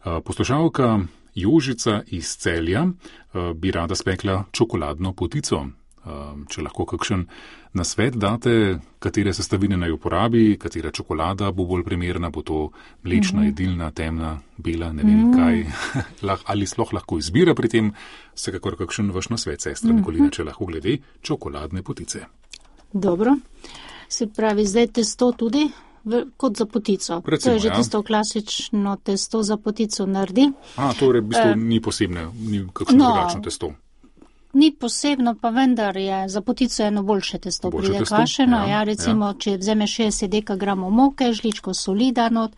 Poslušalka Jožica iz Celja bi rada spekla čokoladno potico. Če lahko kakšen nasvet date, katere sestavine naj uporabi, katera čokolada bo bolj primerna, bo to mlečna, jedilna, temna, bela, ne vem kaj, ali sploh lahko izbira pri tem, vsekakor kakšen vaš nasvet, sestra Nikolina, če lahko glede čokoladne potice. Dobro, se pravi, zdaj testo tudi kot za potico. Recimo, to je že tisto klasično testo za potico naredi. Torej v bistvu ni posebne, ni kakšno drugačno testo. Ni posebno, pa vendar je za potico eno boljše testo pride kvašeno. Recimo, če vzameš 60 dekagramov moke, žličko soli da not,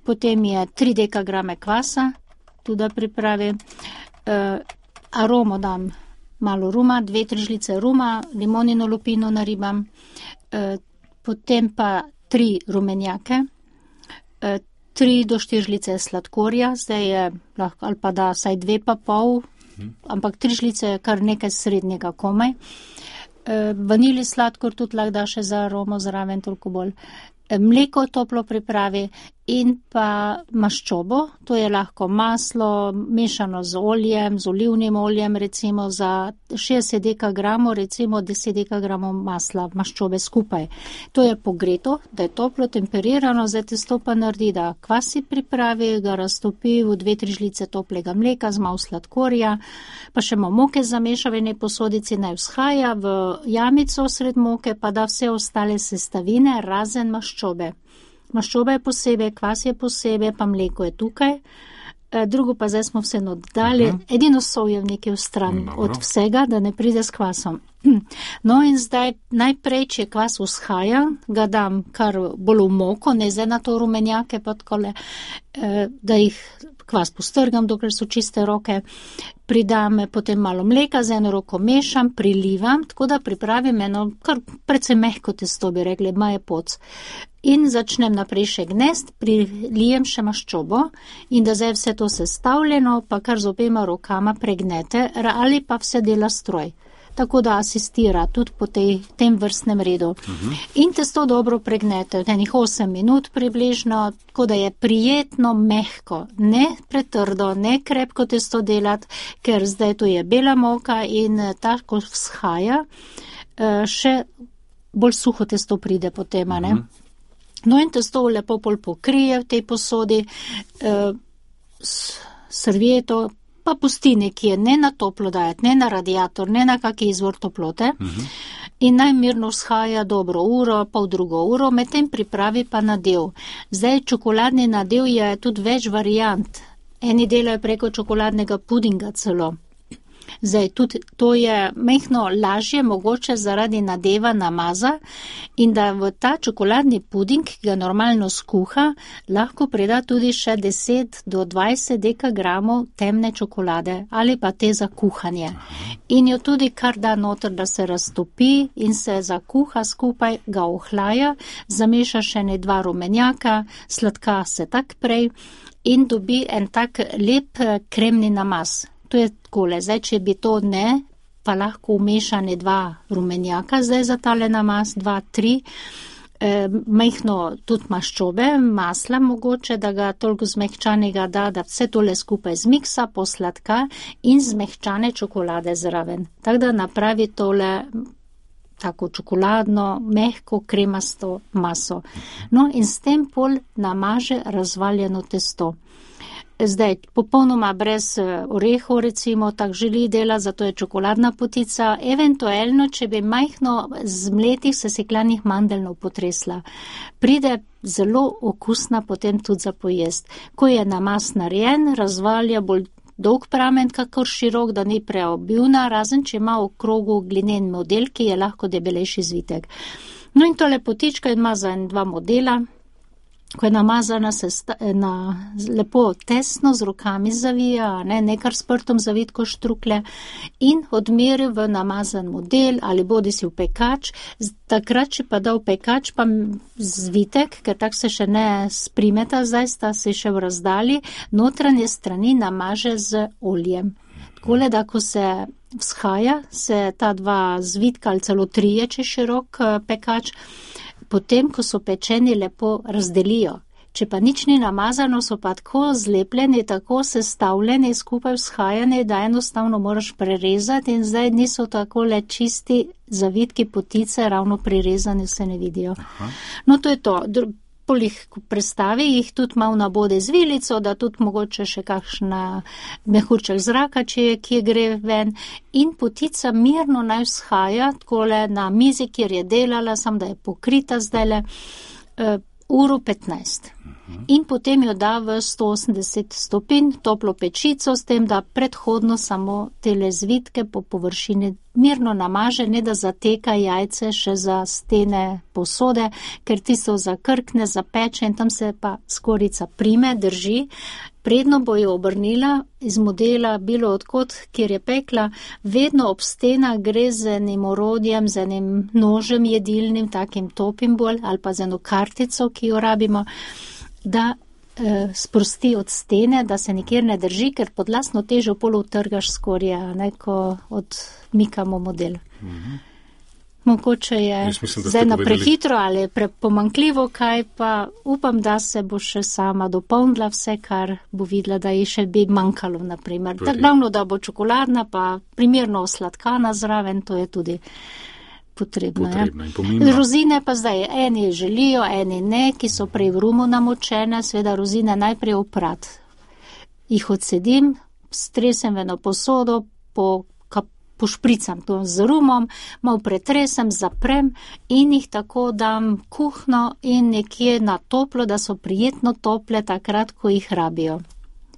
potem je 3 dekagrame kvasa, tudi pripravi. Aromo dam malo ruma, 2-3 žlice ruma, limonino lupino naribam, potem pa 3 rumenjake, 3 do 4 žlice sladkorja, zdaj je lahko, ali pa da saj 2,5, ampak 3 žlice je kar nekaj srednjega komaj. Vanili sladkor tudi lahko da še za aromo zraven toliko bolj. Mleko toplo pripravi in pa maščobo, to je lahko maslo mešano z oljem, z olivnim oljem, recimo za 60 dekagramov, recimo 10 dekagramov masla maščobe skupaj. To je pogreto, da je toplo temperirano, zdaj testo pa naredi, da kvasi pripravi, ga raztopi v 2-3 žlice toplega mleka z malo sladkorja, pa še malo moke zameša v eni posodici, naj vzhaja v jamico sred moke, pa da vse ostale sestavine razen maščobe. Maščoba je posebej, kvas je posebej, pa mleko je tukaj. Drugo pa zdaj smo vseeno dodali, edino sol je v nekaj stran od vsega, da ne pride s kvasom. No in zdaj najprej, če kvas vzhaja, ga dam kar bolj v moko, ne zdaj na to rumenjake, pa takole, da jih kvas postrgam, dokler so čiste roke. Pridam potem malo mleka, z eno roko mešam, prilivam, tako da pripravim eno kar precej mehko testo, bi rekli, maje poc. In začnem naprej še gnest, prilijem še maščobo in da zdaj vse to sestavljeno, pa kar z obema rokama pregnete, ali pa vse dela stroj. Tako da asistira tudi po tem vrstnem redu. In testo dobro pregnete, enih 8 minut približno, tako da je prijetno mehko, ne pretrdo, ne krepko testo delati, ker zdaj to je bela moka in tako vzhaja, še bolj suho testo pride potem, ne? No in testo lepo pol pokrije v tej posodi, servieto, pa pusti nekje, ne na toplo dajati, ne na radiator, ne na kaki izvor toplote. In naj mirno vzhaja dobro uro, pol drugo uro, medtem pripravi pa nadev. Zdaj čokoladni nadev je tudi več variant. Eni delajo preko čokoladnega pudinga celo. Zdaj, tudi to je mehno lažje mogoče zaradi nadeva namaza in da v ta čokoladni puding, ki ga normalno skuha, lahko preda tudi še 10 do 20 dekagramov temne čokolade ali pa te za kuhanje. In jo tudi kar da noter, da se raztopi in se zakuha skupaj, ga ohlaja, zameša še ne 2 rumenjaka, sladka se tak prej in dobi en tak lep kremni namaz. To je takole, zdaj, če bi to ne, pa lahko umešane 2 rumenjaka, zdaj za tale namaz, 2-3, mehno tudi maščobe, masla mogoče, da ga toliko zmehčanega da vse tole skupaj zmiksa, posladka in zmehčane čokolade zraven. Tako da napravi tole tako čokoladno, mehko, kremasto maso. No in s tem pol namaže razvaljeno testo. Zdaj, popolnoma brez orehov, recimo, tak želi dela, zato je čokoladna potica, eventualno, če bi majhno zmletih sesekljanih mandeljnov potresla. Pride zelo okusna potem tudi za pojest. Ko je namaz narejen, razvalja bolj dolg pramen, kakor širok, da ni preobilna, razen če ima v krogu glinen model, ki je lahko debelejši zvitek. No in tole potička ima za 2 modela. Ko je namazana, se lepo tesno z rokami zavija, ne kar s prtom zavitko štrukle in odmeri v namazan model ali bodi si v pekač. Takrat, če pa da v pekač, pa zvitek, ker tak se še ne sprimeta, zdaj sta se še v razdalji, notranje strani namaže z oljem. Takole, da ko se vzhaja, se ta 2 zvitka ali celo 3, če širok pekač, potem, ko so pečeni, lepo razdelijo, Če pa nič ni namazano, so pa tako zlepljeni, tako sestavljeni, skupaj vzhajani, da enostavno moraš prerezati in zdaj niso tako le čisti zavitki potice, ravno prirezani se ne vidijo. Aha. No, to je to. Polih prestavi jih tudi malo nabode z vilico, da tudi mogoče še kakšna mehurček zraka, če je, kje gre ven. In potica mirno naj vzhaja, takole na mizi, kjer je delala, sam da je pokrita zdajle, uro 15. In potem jo da v 180 stopinj toplo pečico, s tem, da predhodno samo tele zvitke po površini mirno namaže, ne da zateka jajce še za stene posode, ker tisto zakrkne, zapeče in tam se pa skorica prime, drži. Predno bo jo obrnila iz modela bilo odkot, kjer je pekla, vedno ob stena gre z enim orodjem, z enim nožem jedilnim, takim topim bolj, ali pa z eno kartico, ki jo rabimo, da sprosti od stene, da se nikjer ne drži, ker pod lastno težo pol utrgaš skorje, ko odmikamo model. Mogoče je zdaj na prehitro ali pomanjkljivo, kaj pa upam, da se bo še sama dopolnila vse, kar bo videla, da ji še bi manjkalo, naprimer. Tako glavno, da bo čokoladna, pa primerno osladkana zraven, to je tudi potrebno in pomembno. Rozine pa zdaj eni želijo, eni ne, ki so prej v rumu namočene, sveda rozine najprej oprat. Jih odsedim, stresem v eno posodo, pošpricam to z rumom, malo pretresem, zaprem in jih tako dam kuhno in nekje na toplo, da so prijetno tople takrat, ko jih rabijo.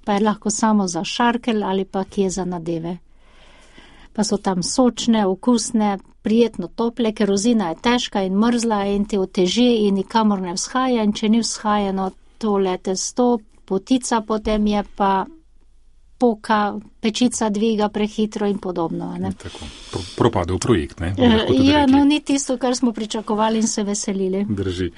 Pa je lahko samo za šarkelj ali pa kje za nadeve. Pa so tam sočne, okusne, prijetno tople, ker rozina je težka in mrzla in te oteži in nikamor ne vzhaja in če ni vzhajeno tole testo, potica potem je pa poka, pečica dviga prehitro in podobno. Tako, propadel projekt, ne? Ja, no ni tisto, kar smo pričakovali in se veselili. Drži.